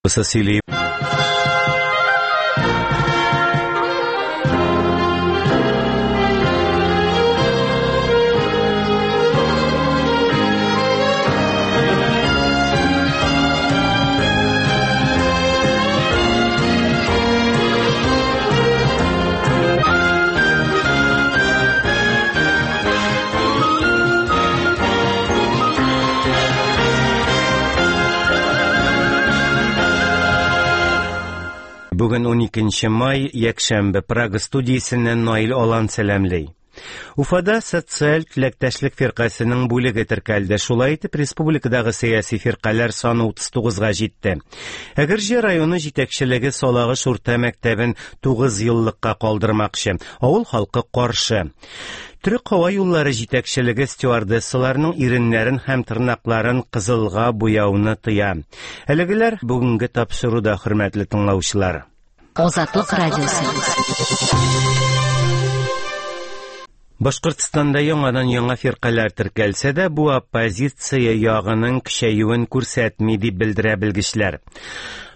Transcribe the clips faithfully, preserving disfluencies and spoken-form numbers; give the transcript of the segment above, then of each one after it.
Сөйли. Бүген ун икенче май, якшәмбе, Прага студиясеннән Наил Алан сәламли. Уфада социаль теләктәшлек фиркасының бүлеге теркәлде. Шулай итеп, республикадагы сәяси фиркаләр саны утыз тугызга җитте. Әгерҗе районы җитәкчелеге Салагыш урта мәктәбен тугыз еллыкка калдырмакчы. Авыл халкы каршы. Төрек һава юллары җитәкчелеге стюардессаларның иреннәрен һәм тырнакларын кызылга буяуны тыя. Әлегеләр бүгенге тапшыруда, хөрмәтле тыңлаучылар. Азатлык радиосы. Башкортстанда яңадан яңа фиркаләр теркәлсә дә, бу оппозиция ягының көчәюен күрсәтми дип белдерә белгечләр.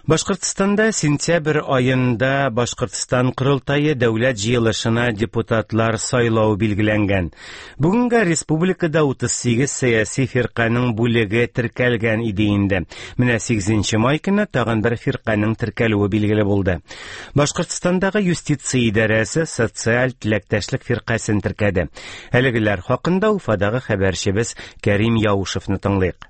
Башкортстанда сентябрь аенда Башкортстан Корылтае дәүләт җыелышына депутатлар сайлау билгеләнгән. Бүгенгә республикада утыз сигез сәяси фирканың бүлеге теркәлгән иде инде. Менә сигезенче май көне тагын бер фирканың теркәлүе билгеле булды. Башкортстандагы юстиция идарәсе социаль теләктәшлек фиркасын теркәде. Әлегеләр хакында Уфадагы хәбәрчебез Кәрим Яушевны тыңлыйк.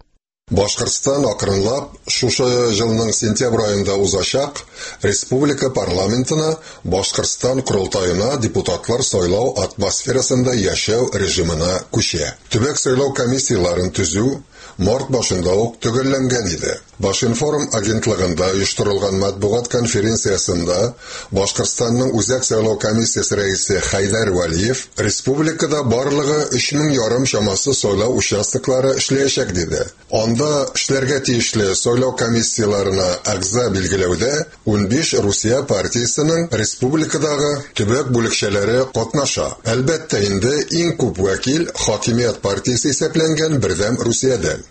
Башкортстан акрынлап шушы елның сентябрь аенда узачак республика парламентына Башкортстан Корылтаена депутатлар сайлау атмосферасында яшәү режимына күчә. Төбәк сайлау комиссияларын төзү март башында ук төгәлләнгән иде. Башинформ агентлыгында оештырылган матбугат конференциясендә Башкортстанның Үзәк сайлау комиссиясе рәисе Хәйдәр Вәлиев республикада барлыгы өч мең ярым чамасы сайлау участоклары эшләячәк диде. Анда эшләргә тиешле сайлау комиссияларына әгъза билгеләүдә унбиш Русия партиясенең республикадагы төбәк бүлекчәләре катнаша. Әлбәттә инде иң күп вәкил хакимият партиясе исәпләнгән Бердәм Русиядән.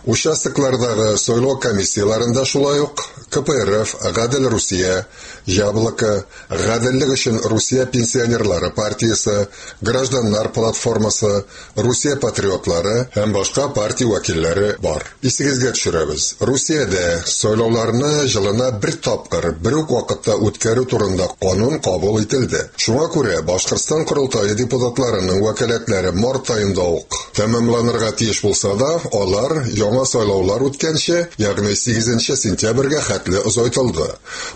Участоклардагы сайлау комиссияларында шулай ук К П Р Ф, Гадел Русия, Яблоко, Гаделлек өчен Русия пенсионерлары партиясе, Гражданнар платформасы, Русия патриотлары һәм башка партия вәкилләре бар. Исегезгә төшерәбез. Русиядә сайлауларны елына бер тапкыр, бер үк вакытта үткәрү турында канун кабул ителде. Шуңа күрә Башкортстан Корылтае депутатларының вәкаләтләре март аенда ук тәмамланырга тиеш булса да, алар яңа сайлаулар үткәнче, ягъни сигезенче сентябрьгә хәтле озайтылды.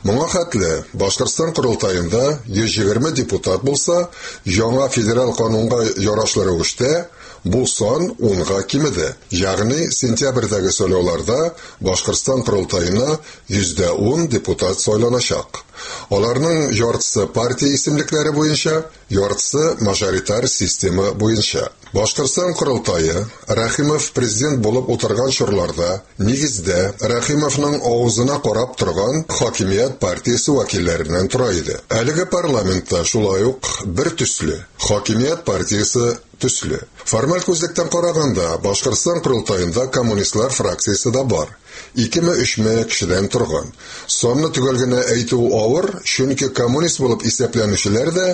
Моңа хәтле Башкортстан Корылтаенда йөз егерме депутат булса, яңа федераль канунга ярашлы рәвештә бу сан унга кимеде. Ягъни сентябрьдәге сайлауларда Башкортстан Корылтаена йөздә ун депутат сайланачак. Аларның яртысы партия исемлекләре буенча, яртысы мажоритар система буенча. Башкортстан Корылтае Рәхимов президент булып утырган чорларда нигездә Рәхимовның авызына карап торган хакимият партиясе вәкилләреннән тора иде. Әлеге парламентта шулай ук бер төсле хакимият партиясе төсле. Формаль күзлектән караганда Башкортстан Корылтаенда коммунистлар фракциясе дә бар. Икеме өчме кешедән торган. Санны төгәл генә әйтү авыр, чөнки коммунист булып исәпләнүчеләр дә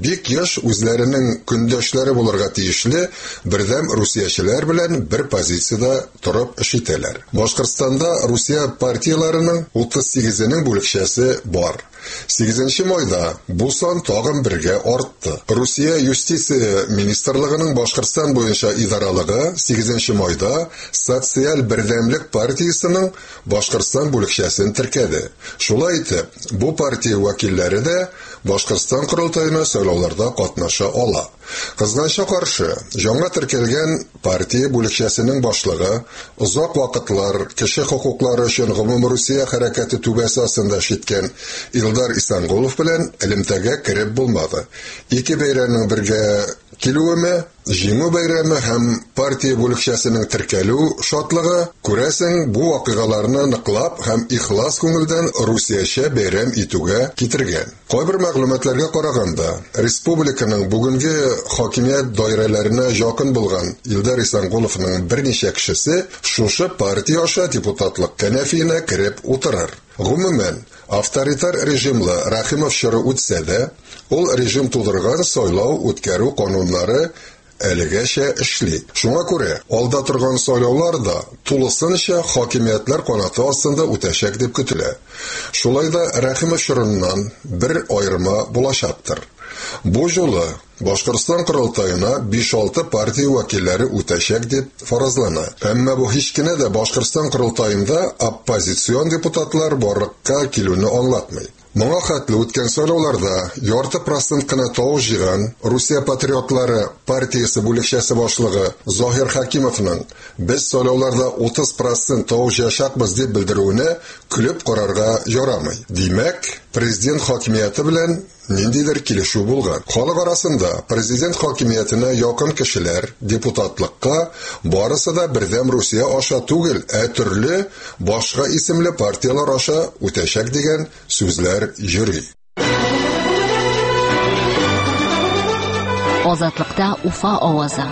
бик еш үзләренең көндәшләре булырга тиешле бердәм русиячеләр белән бер позициядә торып эш итәләр. Башкортстанда Русия партияләренең утыз сигезенең бүлекчәсе бар. Сигезенче майда бу сан тагын бергә артты. Русия юстиция министрлыгының Башкортстан буенча идаралыгы сигезенче майда Социаль бердәмлек партиясенең Башкортстан бүлекчәсен теркәде. Шулай итеп, бу партия вәкилләре дә Башкортстан Корылтаена сайлауларда катнаша ала. Кызганычка каршы, яңа теркәлгән партия бүлекчәсенең башлыгы озак вакытлар кеше хокуклары өчен гомумрусия хәрәкәте түбәсе астында эш иткән Илдар Исәнгулов белән элемтәгә кереп булмады. Ике бәйрәмнең бергә килүеме, Җиңү бәйрәме һәм партия бүлекчәсенең теркәлү шатлыгы, күрәсең, бу вакыйгаларны ныклап һәм ихлас күңелдән Русиячә бәйрәм итүгә китергән. Кайбер мәгълүматларга караганда, республиканың бүгенге хакимият даирәләренә якын булган Илдар Исәнголовның берничә кешесе шушы партия аша депутатлык кәнәфиенә кереп утырыр. Гомумән, авторитар режимлы Рәхимов чоры үтсә дә, ул режим тудырган сайлау үткәрү кануннары әлегәчә эшли. Шуңа күрә алда торган сайлаулар да тулысынча хакимиятләр канаты астында үтәчәк дип көтелә. Шулай да Рәхимов чорыннан бер аерма булачактыр. Бу жолы Башкортстан корылтаена биш-алты партия вәкилләре үтәчәк дип фаразлана. Әмма бу һич кенә дә Башкортстан корылтаенда оппозицион депутатлар барлыкка килүне аңлатмый. Моңа хәтле үткән сайлауларда ярты процент кына тавыш җыйган Русия патриотлары партиясе бүлекчәсе башлыгы Заһир Хәкимовның без сайлауларда утыз процент тавыш җыячакбыз дип белдерүенә көлеп карарга ярамый. Димәк, президент хакимияте белән ниндидер килешү булган. Халык арасында президент хакимиятенә якын кешеләр депутатлыкка барысы да Бердәм Русия аша түгел, ә төрле башка исемле партиялар аша үтәчәк дигән сүзләр йөри. Азатлыкта Уфа авазы.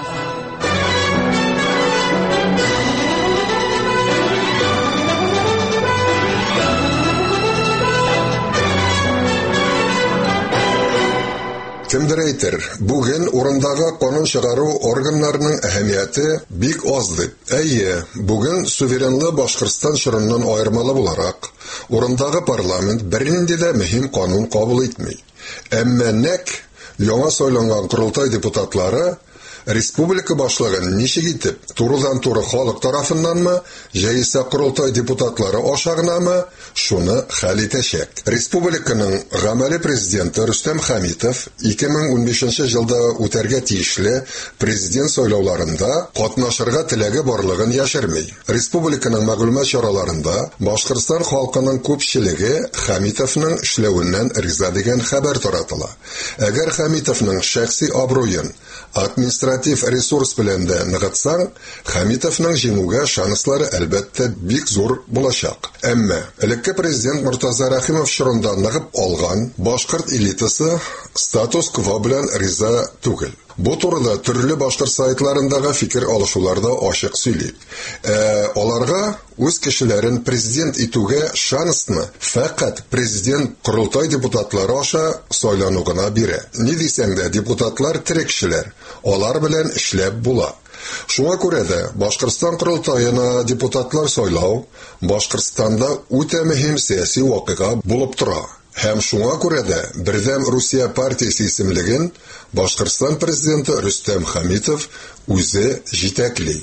Кемдер әйтер, бүген урындагы канун чыгару органнарының әһәмияте бик аз дип. Әйе, бүген суверенлы Башкортстан чорыннан аермалы буларак, урындагы парламент бернинди дә мөһим канун кабул итми. Әмма нәк яңа сайланган корылтай депутатлары республика башлыгын ничек итеп турыдан-туры халык тарафыннанмы, яисә корылтай депутатлары аша гынамы, шуны хәл итәчәк. Республиканың гамәле президенты Рөстәм Хәмитов ике мең унбишенче елда үтәргә тиешле президент сайлауларында катнашырга теләге барлыгын яшерми. Республиканың мәгълүмат чараларында Башкортстан халкының күпчелеге Хәмитовның эшләвеннән риза дигән хәбәр таратыла. Әгәр Хәмитовның шәхси абруен административ ресурс белән дә ныгытсаң, Хәмитовның җиңүгә шанслары әлбәттә бик зур булачак. Әмма элекке президент Мортаза Рәхимов чорында ныгып алган башкорт элитасы статус-кво белән риза түгел. Бу турыда төрле башкорт сайтларындагы фикер алышуларда ачык сөйли. Ә аларга үз кешеләрен президент итүгә шансны фәкать президент корылтай депутатлары аша сайлану гына бирә. Ни дисәң дә, депутатлар тере кешеләр, алар белән эшләп була. Шуңа күрә дә Башкортстан корылтаена депутатлар сайлау Башкортстанда үтә мөһим сәяси вакыйга булып тора. Һәм шуңа күрә дә Бердәм Русия партиясе исемлеген Башкортстан президенты Рөстәм Хәмитов үзе җитәкли.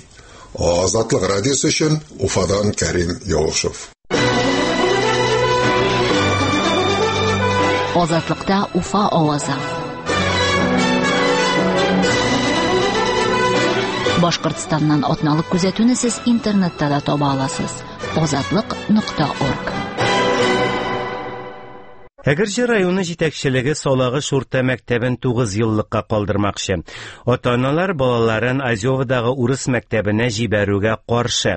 Азатлык радиосы өчен Уфадан Кәрим Яушев. Азатлыкта Уфа авазы. Башкортстаннан атналык күзәтүне сез интернетта да таба аласыз. Азатлык нокта орг. Әгерҗе районы җитәкчелеге Салагыш урта мәктәбен тугыз еллыкка калдырмакчы. Ата-аналар балаларын Азёвадагы урыс мәктәбенә җибәрүгә каршы.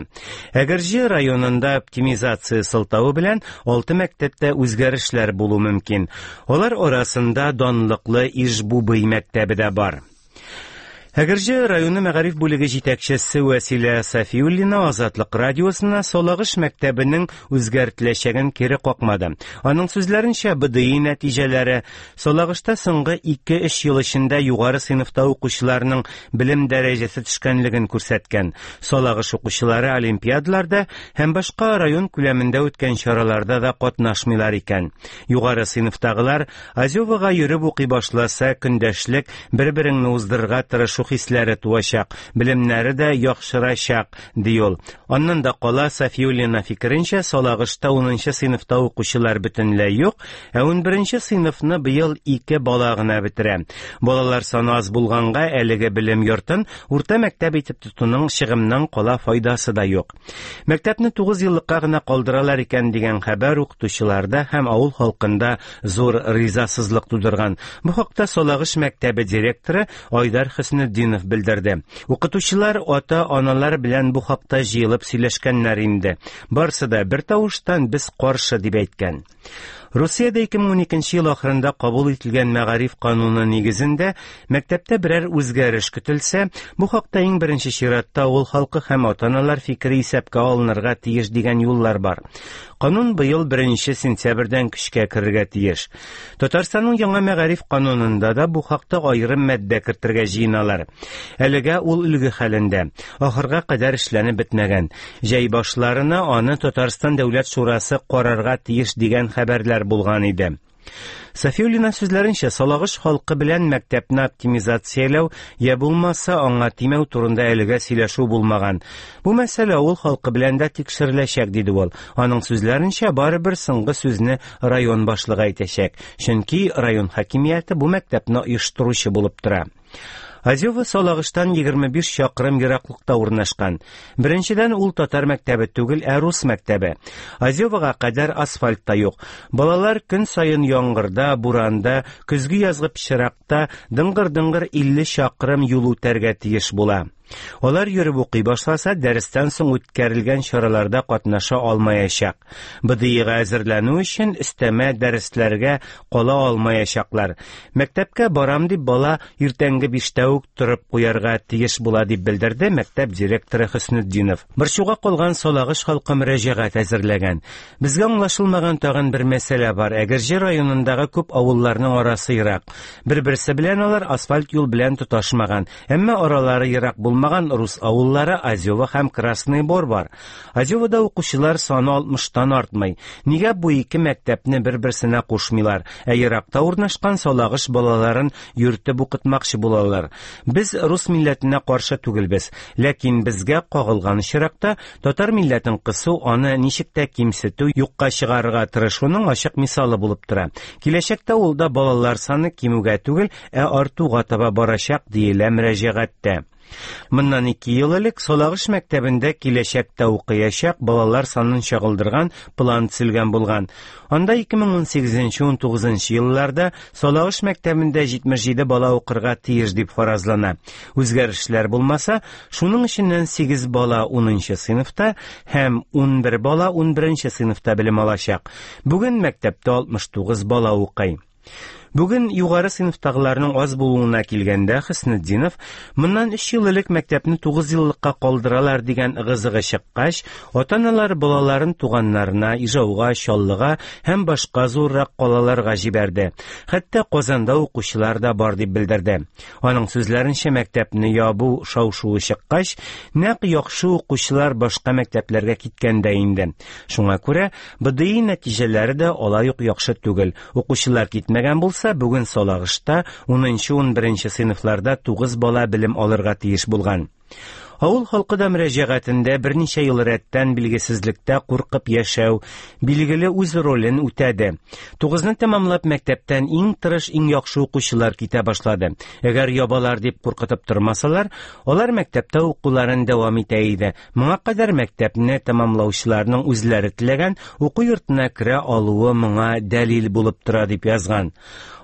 Әгерҗе районында оптимизация сылтавы белән алты мәктәптә үзгәрешләр булу мөмкин. Алар арасында данлыклы Ижбубый мәктәбе дә бар. Әгерҗе районы мәгариф бүлеге җитәкчесе Вәсилә Сафиуллина Азатлык радиосына Салагыш мәктәбенең үзгәртеләчәген кире какмады. Аның сүзләренчә, Б Д И нәтиҗәләре Салагышта соңгы ике-өч ел эчендә югары сыйныфта укучыларның белем дәрәҗәсе төшкәнлеген күрсәткән. Салагыш укучылары олимпиадаларда һәм башка район күләмендә үткән чараларда да катнашмыйлар икән. Югары сыйныфтагылар Азёвага йөреп укый башласа, көндәшлек, бер-береңне уздырырга тырышу хисләре туачак, белемнәре дә яхшырачак, ди ул. Аннан да кала Сафиуллина фикеренчә, Салагышта унынчы сыйныфта укучылар бөтенләй юк, ә унберенче сыйныфны быел ике бала гына бетерә. Балалар саны аз булганга әлеге белем йортын урта мәктәп итеп тотуның чыгымнан кала файдасы да юк. Мәктәпне тугыз еллыкка гына калдыралар икән дигән хәбәр укытучыларда һәм авыл халкында зур ризасызлык тудырган. Бу хакта Салагыш мәктәбе директоры Айдар Хөснетдинов Хөснетдинов белдерде. Укытучылар ата-аналар белән бу хакта җыелып сөйләшкәннәр инде. Барсы да бер тавыштан без каршы дип әйткән. Русиядә ике мең уникенче ел ахырында кабул ителгән мәгариф кануны нигезендә мәктәптә берәр үзгәреш көтелсә, бу хакта иң беренче чиратта авыл халкы һәм ата-аналар фикере исәпкә алынырга тиеш дигән юллар бар. Канун быел беренче сентябрьдән көчкә керергә тиеш. Татарстанның яңа мәгариф канунында да бу хакта аерым маддә кертергә җыеналар. Әлегә ул өлге хәлендә, ахырга кадәр эшләнеп бетмәгән. Җәй башларына аны Татарстан Дәүләт Шурасы карарга тиеш дигән хәбәрләр булган иде. Сафиуллина сүзләренчә, Салагыш халкы белән мәктәпне оптимизацияләү я булмаса аңа тимәү турында әлегә сөйләшү булмаган. Бу мәсьәлә авыл халкы белән дә тикшереләчәк, диде ул. Аның сүзләренчә, барыбер соңгы сүзне район башлыгы әйтәчәк, чөнки район хакимияте бу мәктәпне оештыручы булып тора. Азёво Салагыштан егерме биш чакрым ераклыкта урнашкан. Беренчедән, ул татар мәктәбе түгел, ә рус мәктәбе. Азёвога кадәр асфальт та юк. Балалар көн саен яңгырда, буранда, көзге язгы пычракта дыңгыр-дыңгыр илле чакрым юл үтәргә тиеш була. Алар йөреп укый башласа, дәрестән соң үткәрелгән чараларда катнаша алмаячак. Б Д Ига әзерләнү өчен өстәмә дәресләргә кала алмаячаклар. Мәктәпкә барам дип бала иртәнге биштә үк торып куярга тиеш була, дип белдерде мәктәп директоры Хөснетдинов. Борчуга калган Салагыш халкы мөрәҗәгать әзерләгән. Безгә аңлашылмаган тагын бер мәсьәлә бар. Әгерҗе районындагы күп авылларның арасы ерак. Бер-берсе белән алар асфальт юл белән тоташмаган, әмма аралары ерак булмаган рус авыллары Азёво һәм Красный Бор бар. Азёвода укучылар саны алтмыштан артмый. Нигә бу ике мәктәпне бер-берсенә кушмыйлар, ә еракта урнашкан Салагыш балаларын йөртеп укытмакчы булалар? Без рус милләтенә каршы түгелбез, ләкин безгә кагылган очракта татар милләтен кысу, аны ничек тә кимсетү, юкка чыгарырга тырышуның ачык мисалы булып тора. Киләчәктә ул да балалар саны кимүгә түгел, ә артуга таба барачак, диелә мөрәҗәгатьтә. Моннан ике ел элек Салагыш мәктәбендә киләчәктә укыячак балалар санын чагылдырган план төзелгән булган. Анда ике мең унсигезенче унтугызынчы елларда Салагыш мәктәбендә җитмеш җиде бала укырга тиеш дип фаразлана. Үзгәрешләр булмаса, шуның эченнән сигез бала унынчы сыйныфта һәм унбер бала унберенче сыйныфта белем алачак. Бүген мәктәптә алтмыш тугыз бала укый. Бүген югары сыйныфтагыларның аз булуына килгәндә, Хөснетдинов моннан өч ел элек мәктәпне тугыз еллыкка калдыралар дигән ыгы-зыгы чыккач, ата-аналар балаларын туганнарына, Ижауга, Чаллыга һәм башка зуррак калаларга җибәрде. Хәтта Казанда укучылар да бар дип белдерде. Аның сүзләренчә, мәктәпне ябу шау-шуы чыккач, нәкъ яхшы укучылар башка мәктәпләргә киткән дә инде. Шуңа күрә Б Д И нәтиҗәләре дә алай ук яхшы түгел. Укучылар китмәгән булса, бүген Салагышта унынчы унберенче сыйныфларда тугыз бала белем алырга тиеш булган. Авыл халкы да мөрәҗәгатендә берничә ел рәттән билгесезлектә куркып яшәү, билгеле үз ролен үтәде. Тугызны тәмамлап мәктәптән иң тырыш, иң яхшы укучылар китә башлады. Әгәр ябалар дип куркытып тормасалар, алар мәктәптә укуларын дәвам итә иде. Моңа кадәр мәктәпне тәмамлаучыларның үзләре теләгән уку йортына керә алуы моңа дәлил булып тора дип язган.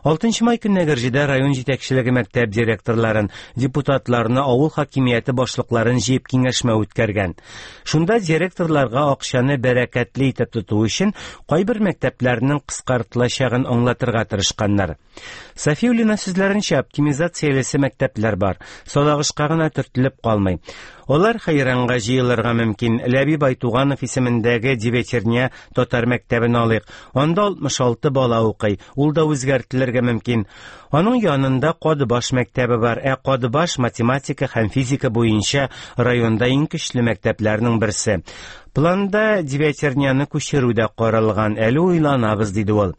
Алтынчы май көнне Әгерҗедә район җитәкчелеге мәктәп директорларын, депутатларны, авыл хакимияте башлыкларын җыеп киңәшмә үткәргән. Шунда директорларга акчаны бәрәкәтле итеп тоту өчен кайбер мәктәпләрнең кыскартылачагын аңлатырга тырышканнар. Сафиуллина сүзләренчә, оптимизациялесе мәктәпләр бар. Салагышка гына төртелеп калмый. Алар хәйранга җыелырга мөмкин. Ләбиб Айтуганов исемендәге Девятерня татар мәктәбен алыйк. Анда алтмыш алты бала укый. Ул да үзгәртелергә мөмкин. Аның янында Кадыбаш мәктәбе бар. Ә Кадыбаш математика һәм физика буенча районда иң көчле мәктәпләрнең берсе. Планда Девятерняны күчерү дә каралган. Әле уйланабыз, диде ул.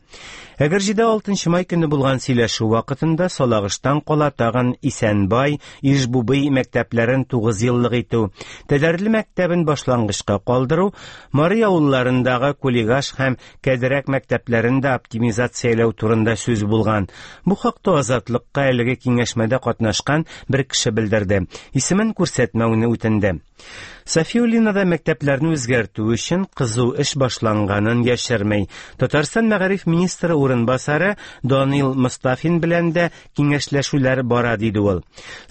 Әгерҗедә алтынчы май көне булган сөйләшү вакытында Салагыштан кала тагын Исәнбай, Ижбубый мәктәпләрен тугыз еллык итү, Тәдәрле мәктәбен башлангычка калдыру, Мари авылларындагы Кулигаш һәм Кәдерәк мәктәпләрен дә оптимизацияләү турында сүз булган. Бу хакта Азатлыкка әлеге киңәшмәдә катнашкан бер кеше белдерде. Исемен күрсәтмәүне үтенде. Сафиуллина да мәктәпләрне Үзгәртү өчен кызу эш башланганын яшермәй. Татарстан мәгариф министры урынбасары Данил Мостафин белән дә киңәшләшүләр бара, диде ул.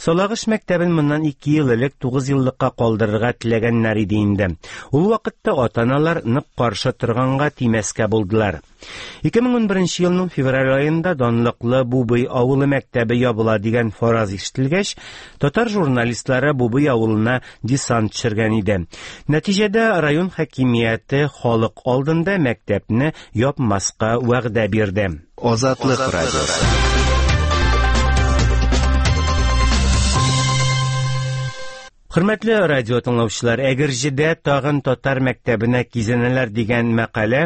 Салагыш мәктәбен моннан ике ел элек тугыз еллыкка калдырырга теләгәннәр иде инде. Ул вакытта ата-аналар нык каршы торганга тимәскә булдылар. ике мең унберенче елның февраль аенда данлыклы Бубый авылы мәктәбе ябыла дигән фараз ишетелгәч, татар журналистлары Бубый авылына десант төшергән иде. Нәтиҗәдә район хакимияте халык алдында мәктәпне япмаска вәгъдә бирде. Азатлык радиосы. Хөрмәтле радио тыңлаучылар, Әгерҗедә тагын татар мәктәбенә кизәнәләр дигән мәкалә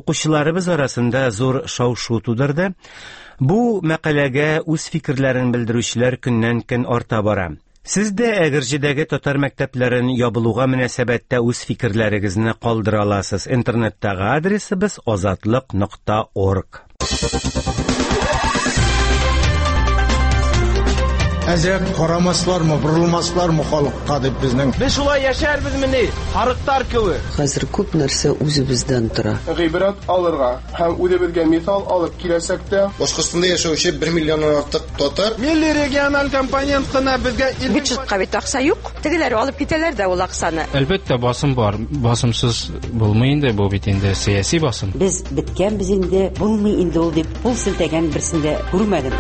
укучыларыбыз арасында зур шау-шу тудырды. Бу мәкаләгә үз фикерләрен белдерүчеләр көннән-көн арта бара. Сез дә Әгерҗедәге татар мәктәпләрен ябылуга мөнәсәбәттә үз фикерләрегезне калдыра аласыз. Интернеттагы адресыбыз азатлык нокта орг. Әзрәк карамаслармы, борылмаслармы халыкка дип безнең. Без шулай яшәрбезмени, арыктар кебек. Хәзер күп нәрсә үзебездән тора. Гыйбрәт алырга һәм үзебезгә мисал алып киләчәктә Башкортстанда яшәүче бер миллионнан артык татар милли региональ компонент кына безгә бюджетка бит акча юк. Тегеләр алып китәләр дә ул акчаны. Әлбәттә, басым бар. Басымсыз булмый инде, бу бит инде сәяси басым. Без беткәнбез инде, булмый инде ул дип кул селтәгән берсен дә күрмәдем.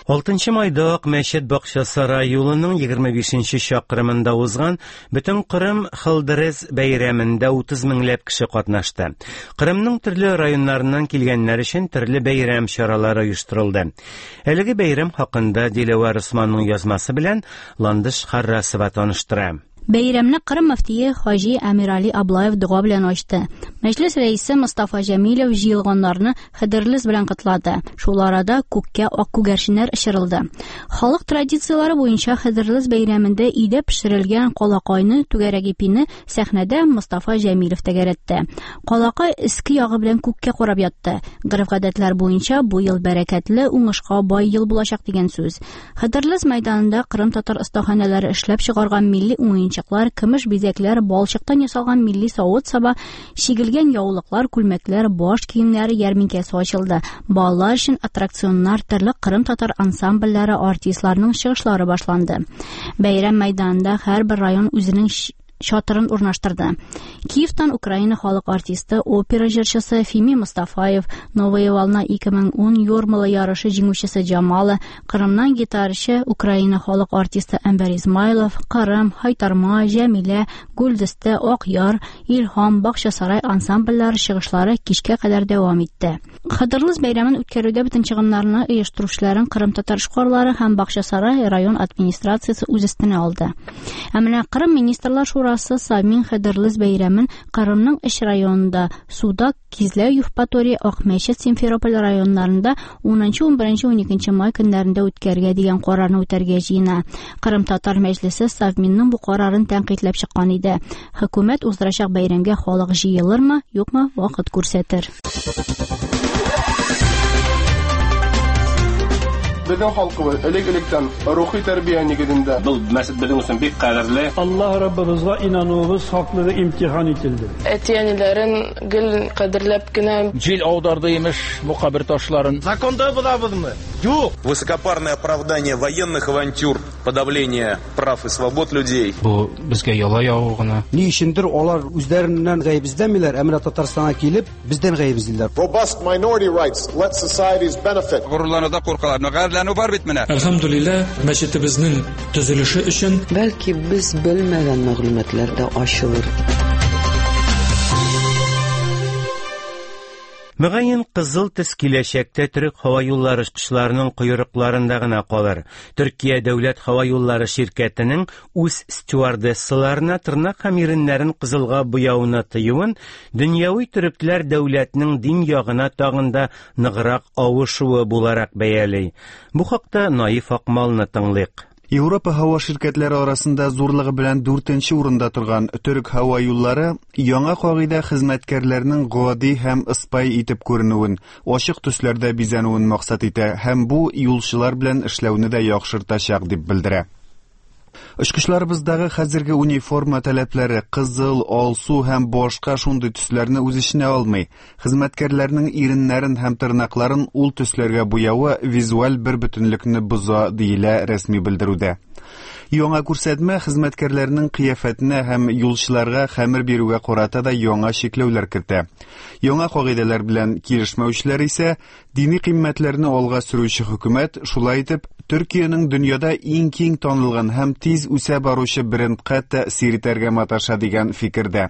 Алтынчы майда Ак мәчет Бакчасарай юлының егерме бишенче чакрымында узган Бөтен Кырым Хылдырыз бәйрәмендә утыз меңләп кеше катнашты. Кырымның төрле районнарыннан килгәннәр өчен төрле бәйрәм чаралары оештырылды. Әлеге бәйрәм хакында Диләвәр Усманның язмасы белән Ландыш Харрасова таныштыра. Бәйрәмне Кырым мөфтие Хаҗи Әмирали Аблаев дога белән ачты. Мәҗлес рәисе Мостафа Җәмилев җыелганнарны хәдерлез белән котлады. Шул арада күккә ак күгәрченнәр очырылды. Халык традицияләре буенча хәдерлез бәйрәмендә өйдә пешерелгән калакайны, түгәрәк ипине сәхнәдә Мостафа Җәмилев тәгәрәтте. Калакай иске ягы белән күккә карап ятты. Гореф-гадәтләр буенча бу ел бәрәкәтле, уңышка бай ел булачак дигән сүз. Хәдерлез мәйданында Кырым татар остаханәләре эшләп чыгарган милли уен уенчыклар, көмеш бизәкләр, балчыктан ясалган милли савыт-саба, чигелгән яулыклар, күлмәкләр, баш киемнәре ярминкәсе ачылды. Балалар өчен аттракционнар, төрле Кырым татар ансамбльләре, артистларның чыгышлары башланды. Бәйрәм мәйданында һәрбер район үзенең чатырын урнаштырды. Киевтан Украина халык артисты, опера җырчысы Фими Мустафаев, Новая волна ике мең ун Юрмала ярышы җиңүчесе Джамала, Кырымнан гитарчы Украина халык артисты Әнвәр Измайлов, Кырым, Хайтарма, Җәмилә, Гүлдесте, Акъяр, Илһам, Бакчасарай ансамбльләре чыгышлары кичкә кадәр дәвам итте. Хыдырлыз бәйрәмен үткәрүдә бөтен чыгымнарны оештыручыларын Кырым татар эшкуарлары һәм Бакчасарай район администрациясе үз өстенә алды. Ә менә Кырым министрлар шурасы Совмин Хыдырлыз бәйрәмен Кырымның өч районында Судак, Кизләү, Евпатория, Акмәчет, Симферополь районнарында унынчы, унберенче, уникенче май көннәрендә үткәрергә дигән карарны үтәргә җыена. Кырым татар мәҗлесе Совминның бу карарын тәнкыйтьләп чыккан иде. Хөкүмәт уздырачак бәйрәмгә халык җыелырмы, юкмы, вакыт күрсәтер. Безнең халкыбыз элек-электән рухи тәрбия нигезендә. Был мәсет безнең өчен бик кадерле. Аллаһ Раббыбызга инануыбыз хаклыгы имтихан ителде. Әти-әниләрен гел кадерләп кенә. Җил аударды имеш бу кабер ташларын. Законда булабызмы? Юк. Высокопарное оправдание военных авантюр, подавление прав и свобод людей. Бу безгә яла ягу гына. Ни өчендер алар үзләреннән гаеп эзләмиләр, ә менә Татарстанга килеп бездән гаеп эзлиләр. Robust minority rights let societies benefit. Горурлануда куркалар. Гарьләнү бар бит менә. Әлхәмдүлилләһ, мәчетебезнең төзелеше өчен бәлки без белмәгән мәгълүматлар да ачылыр. Мөгаен кызыл төс киләчәктә төрек һава юллары очкычларының койрыкларында гына калыр. Төркия дәүләт һава юллары ширкәтенең үз стюардессаларына тырнак һәм иреннәрен кызылга буяуны тыюын дөньяви төрекләр дәүләтнең дин ягына тагын да ныграк авышуы буларак бәяли. Бу хакта Наиф Акмалны тыңлыйк. Европа һава ширкәтләре арасында зурлыгы белән дүртенче урында торган Төрек һава юллары яңа кагыйдә хезмәткәрләрнең гади һәм ыспай итеп күренүен, ачык төсләрдә бизәнүен максат итә һәм бу юлчылар белән эшләүне дә яхшыртачак дип белдерә. Очкычларыбыздагы хәзерге униформа таләпләре кызыл, алсу һәм башка шундый төсләрне үз эченә алмый. Хезмәткәрләрнең иреннәрен һәм тырнакларын ул төсләргә буявы визуаль бер бөтенлекне боза, диелә рәсми белдерүдә. Яңа күрсәтмә хезмәткәрләрнең кыяфәтенә һәм юлчыларга хәмер бирүгә карата да яңа чикләүләр кертә. Яңа кагыйдәләр белән килешмәүчеләр исә дини кыйммәтләрне алга сөрүче хөкүмәт шулай итеп Төркиянең дөньяда иң киң танылган һәм тиз үсә баручы брендка тәэсир итәргә маташа дигән фикердә.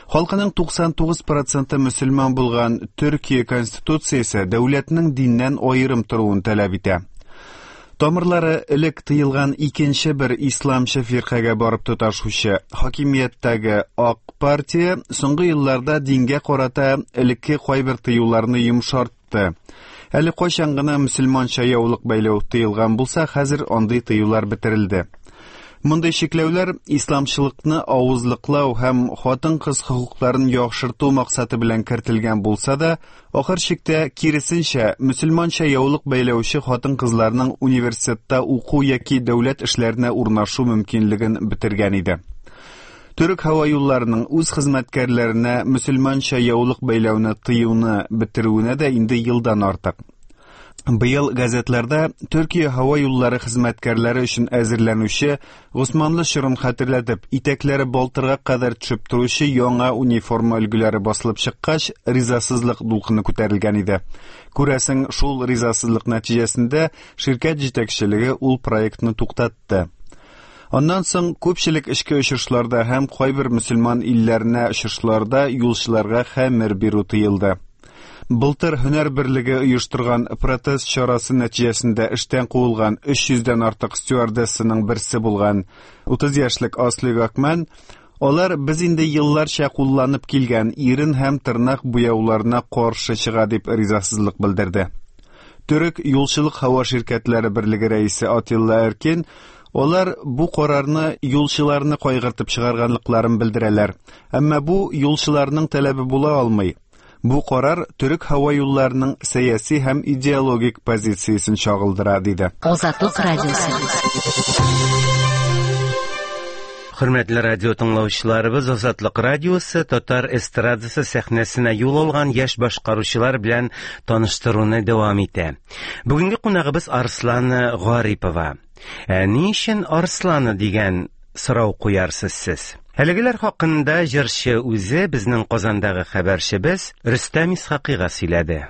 Халкының туксан тугыз проценты мөселман булган Төркия конституциясе дәүләтнең диннән аерым торуын таләп итә. Тамырлары элек тыелган икенче бер исламчы фиркагә барып тоташучы хакимияттәге Ак партия соңгы елларда дингә карата элекке кайбер тыюларны йомшартты. Әле кайчан гына мөселманча яулык бәйләү тыелган булса, хәзер андый тыюлар бетерелде. Мондый чикләүләр исламчылыкны авызлыклау һәм хатын-кыз хокукларын яхшырту максаты белән кертелгән булса да, ахыр чиктә киресенчә мөселманча яулык бәйләүче хатын-кызларның университетта уку яки дәүләт эшләренә урнашу мөмкинлеген бетергән иде. Төрек һава юлларының үз хезмәткәрләренә мөселманча яулык бәйләүне тыюны бетерүенә дә инде елдан артык. Быел газетларда Төркия һава юллары хезмәткәрләре өчен әзерләнүче Госманлы чорын хәтерләтеп, итәкләре балтырга кадәр төшеп торучы яңа униформа өлгеләре басылып чыккач, ризасызлык дулкыны күтәрелгән иде. Күрәсең, шул ризасызлык нәтиҗәсендә ширкәт җитәкчелеге ул проектны туктатты. Аннан соң күпчелек эчке очышларда һәм кайбер мөселман илләренә очышларда юлчыларга хәмер бирү тыелды. Былтыр һөнәр берлеге оештырган протест чарасы нәтиҗәсендә эштән куылган өч йөздән артык стюардессаның берсе булган утыз яшьлек Асли Гакман, алар без инде елларча кулланып килгән ирен һәм тырнак буяуларына каршы чыга дип ризасызлык белдерде. Төрек юлчылык һава ширкәтләре берлеге рәисе Атилла Эркин алар бу карарны юлчыларны кайгыртып чыгарганлыкларын белдерәләр. Әмма бу юлчыларның таләбе була алмый. Бу карар төрек һава юлларының сәяси һәм идеологик позициясен чагылдыра, диде. Азатлык радиосы. Хөрмәтле радио тыңлаучыларыбыз, Азатлык радиосы татар эстрадасы сәхнәсенә юл алган яшь башкаручылар белән таныштыруны дәвам итә. Бүгенге кунагыбыз Арслана Гарипова. Ә ни өчен Арслана дигән сорау куярсыз сез? Әлегеләр хакында җырчы үзе безнең Казандагы хәбәрчебез Рөстәм Исхакыйга сөйләде.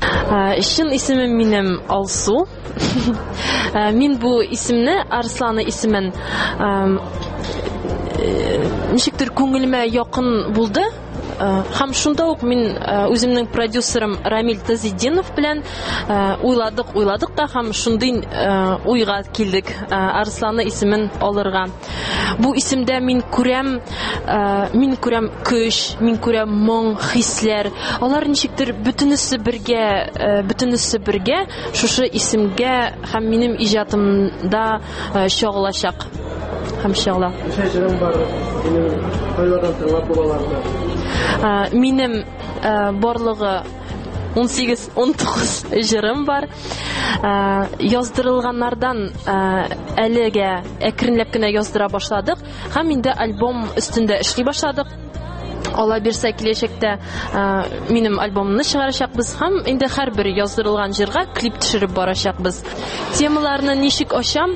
Чын исемем минем Алсу. Мин бу исемне, Арслана исемен, ничектер күңелемә якын булды. Һәм шунда ук мин үземнең продюсерым Рамиль Тазетдинов белән уйладык, уйладык та һәм шундый уйга килдек Арслана исемен алырга. Бу исемдә мин күрәм, мин күрәм көч, мин күрәм моң, хисләр. Алар ничектер бөтенесе бергә, бөтенесе бергә шушы исемгә һәм минем иҗатымда чагылачак. Һәм чагыла. Ничә җырың бар? Синең кайлардан тыңлап булаларны? Минем барлыгы ун сигез, ун тугыз җырым бар. Яздырылганнардан әлегә әкренләп кенә яздыра башладык һәм инде альбом өстендә эшли башладык. Алла бирсә, киләчәктә минем альбомымны чыгарачакбыз һәм инде һәрбер яздырылган җырга клип төшереп барачакбыз. Темаларны ничек ачам?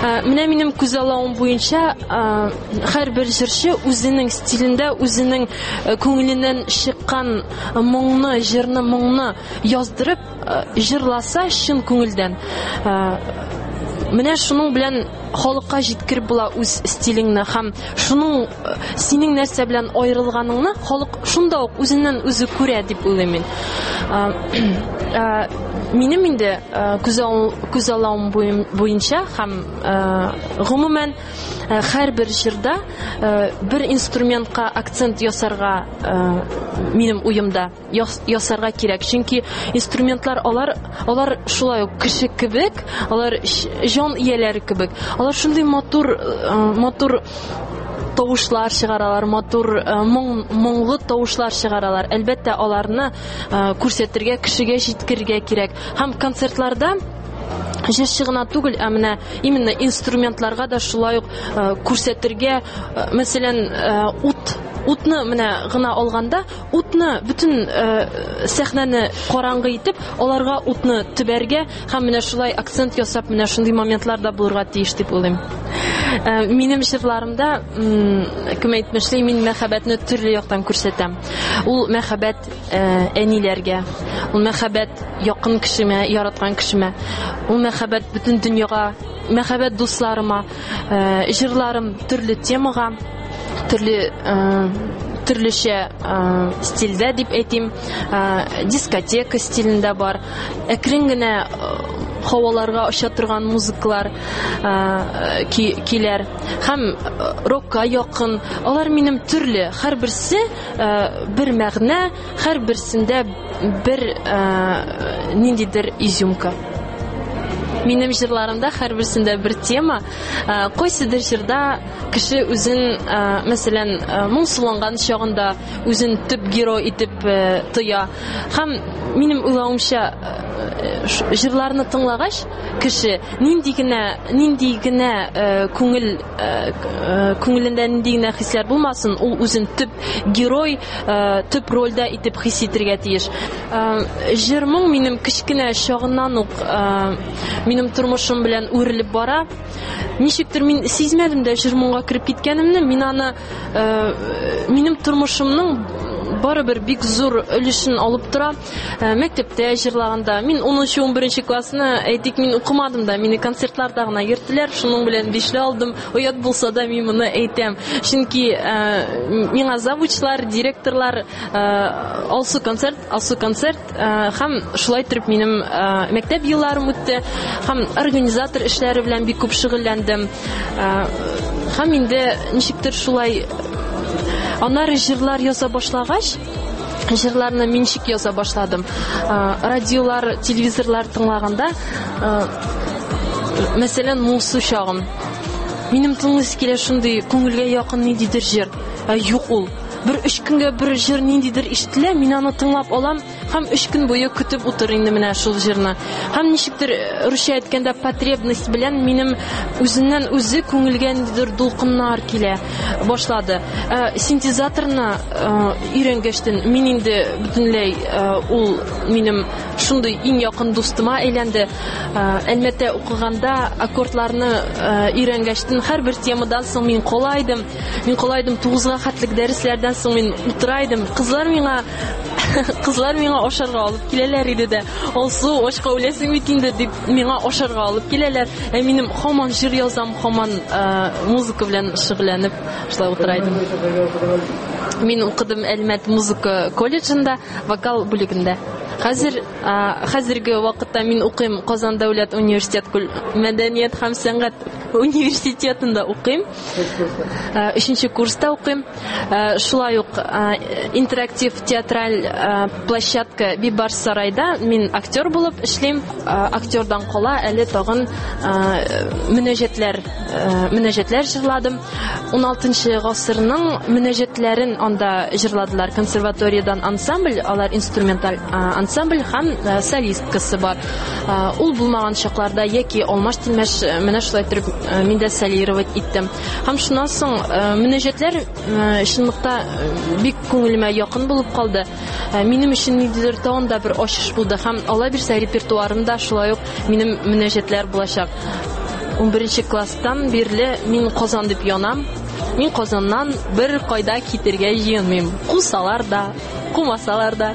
Менә минем күзаллавым буенча һәрбер җырчы үзенең стилендә, үзенең күңеленнән чыккан моңны, җырны, моңны яздырып җырласа чын күңелдән. Менә шуның белән халыкка җиткереп була үз стилеңне һәм шуның синең нәрсә белән аерылганыңны халык шунда ук үзеннән үзе күрә дип уйлыйм мин. Минем инде күзаллавым буенча һәм гомумән һәрбер җырда бер инструментка акцент ясарга минем уемда ясарга кирәк. Чөнки инструментлар алар алар шулай ук кеше кебек, алар җан ияләре кебек. Алар шундый матур матур тавышлар чыгаралар, матур моң, моңлы тавышлар чыгаралар. Әлбәттә, аларны күрсәтергә, кешегә җиткерергә кирәк. Һәм концертларда Җырчы гына түгел, ә менә именно инструментларга да шулай ук күрсәтергә, мәсәлән, ут, утны менә гына алганда, утны бөтен сәхнәне караңгы итеп, аларга утны төбәргә һәм менә шулай акцент ясап, менә шундый моментлар да булырга тиеш дип уйлыйм. Минем җырларымда, кем әйтмешли, мин мәхәббәтне төрле яктан күрсәтәм. Ул мәхәббәт әниләргә, ул мәхәббәт якын кешемә, яраткан кешемә, ул мәхәббәт бөтен дөньяга, мәхәббәт дусларыма. Җырларым төрле темага, төрле төрлечә стильдә дип әйтим, дискотека стилендә бар, әкрен генә һаваларга оча торган музыкалар киләр һәм рокка якын. Алар минем төрле, һәрберсе бер мәгънә, һәрберсендә бер ниндидер изюмка. Минем җырларымда һәрберсендә бер тема. Кайсыдыр җырда кеше үзен, мәсәлән, моңсуланган чагында үзен төп герой итеп тоя. Һәм минем уйлавымча, җырларны тыңлагач, кеше нинди генә, нинди генә күңел, күңелендә нинди генә хисләр булмасын, ул үзен төп герой, төп рольдә итеп хис итәргә тиеш. Җыр-моң минем кечкенә чагыннан ук минем тормышым белән үрелеп бара. Ничектер мин сизмәдем дә җыр-моңга кереп киткәнемне. Мин аны минем тормышымның барыбер бик зур өлешен алып тора. Мәктәптә җырлаганда, мин унынчы, унберенче классны, әйтик, мин укымадым да, мине концертларда гына йөрттеләр, шуның белән бишле алдым. Оят булса да мин моны әйтәм. Чөнки миңа завучлар, директорлар Алсу концерт, Алсу концерт һәм шулай торып минем мәктәп елларым үтте. Һәм организатор эшләре белән бик күп шөгыльләндем. Һәм инде ничектер шулай аннары җырлар яза башлагач, җырларны мин ничек яза башладым. Радиолар, телевизорлар тыңлаганда, мәсәлән, моңсу чагым. Минем тыңлыйсы килә шундый күңелгә якын ниндидер җыр. Ә юк ул. Бер өч көнгә бер җыр ниндидер ишетелә, мин аны тыңлап алам һәм өч көн буе көтеп утыр инде менә шул җырны. Һәм ничектер русча әйткәндә потребность белән минем үзеннән үзе күңелгә ниндидер дулкыннар килә башлады. Синтезаторны өйрәнгәчтен мин инде бөтенләй ул минем шундый иң якын дустыма әйләнде. Әлмәттә укыганда аккордларны өйрәнгәчтен һәрбер темадан соң мин кала идем. Мин кала идем тугызга хәтлек дәресләрдән соң мин утыра идем. Кызлар миңа кызлар миңа ашарга алып киләләр иде дә, Алсу, ашка үләсең бит инде дип миңа ашарга алып киләләр. Ә минем һаман җыр язам, һаман музыка белән шөгыльләнеп шулай утыра идем. Мин укыдым Әлмәт музыка колледжында, вокал бүлегендә. Хәзер, хәзерге вакытта мин укыйм Казан дәүләт университет мәдәният һәм сәнгать университетында укыйм. Өченче курста укыйм. Шулай ук интерактив театраль площадка Бибарс сарайда мин актер булып эшлим. Актердан кала әле тагын мөнәҗәтләр, мөнәҗәтләр җырладым. Уналтынчы гасырның мөнәҗәтләрен анда җырладылар. Консерваториядан ансамбль, алар инструменталь ансамбль һәм солисткасы бар. Ул булмаган чакларда яки алмаш-тилмәш менә шулай торып мин дә солировать иттем. Һәм шуннан соң мөнәҗәтләр чынлыкта бик күңелемә якын булып калды. Минем өчен ниндидер тагын да бер ачыш булды һәм алла бирсә репертуарымда шулай ук минем мөнәҗәтләр булачак. Унберенче класстан бирле мин Казан дип янам. Мин Казаннан бер кайда китергә җыенмыйм. Кусалар да, кумасалар да.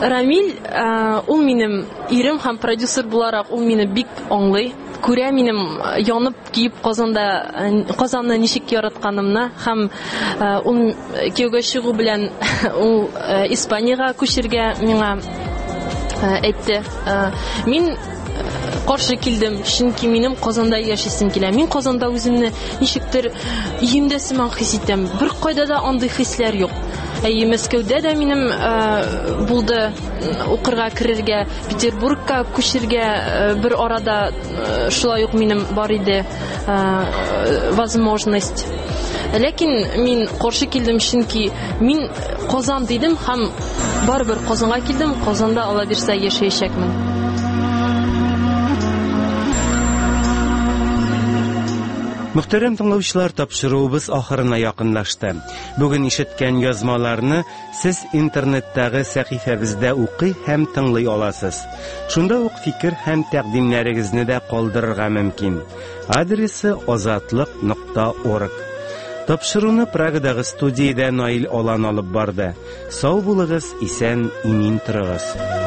Рамил, ул минем ирем һәм продюсер буларак ул мине бик аңлый. Күрә минем янып киеп Казанда, Казанны ничек яратканымны һәм ул кияүгә чыгу белән ул Испаниягә күчергә миңа әйтте. Мин каршы килдем, чөнки минем Казанда яшисем килә. Мин Казанда үземне ничектер өемдә сыман хис итәм. Бер кайда да андый хисләр юк. Әйе, Мәскәүдә дә минем булды укырга керергә, Петербургка күчергә бер арада шулай ук минем бар иде возможность. Ләкин мин каршы килдем, чөнки мин Казан дидем һәм барыбер Казанга килдем. Казанда Алла бирсә яшәячәкмен. Мөхтәрәм тыңлаучылар, тапшыруыбыз ахырына якынлашты. Бүген ишеткән язмаларны сез интернеттагы сәхифәбездә укый һәм тыңлый аласыз. Шунда ук фикер һәм тәкъдимнәрегезне дә калдырырга мөмкин. Адресы азатлык нокта орг. Тапшыруны Прагадагы студиядә Наил Алан алып барды. Сау булыгыз, исән, имин торыгыз.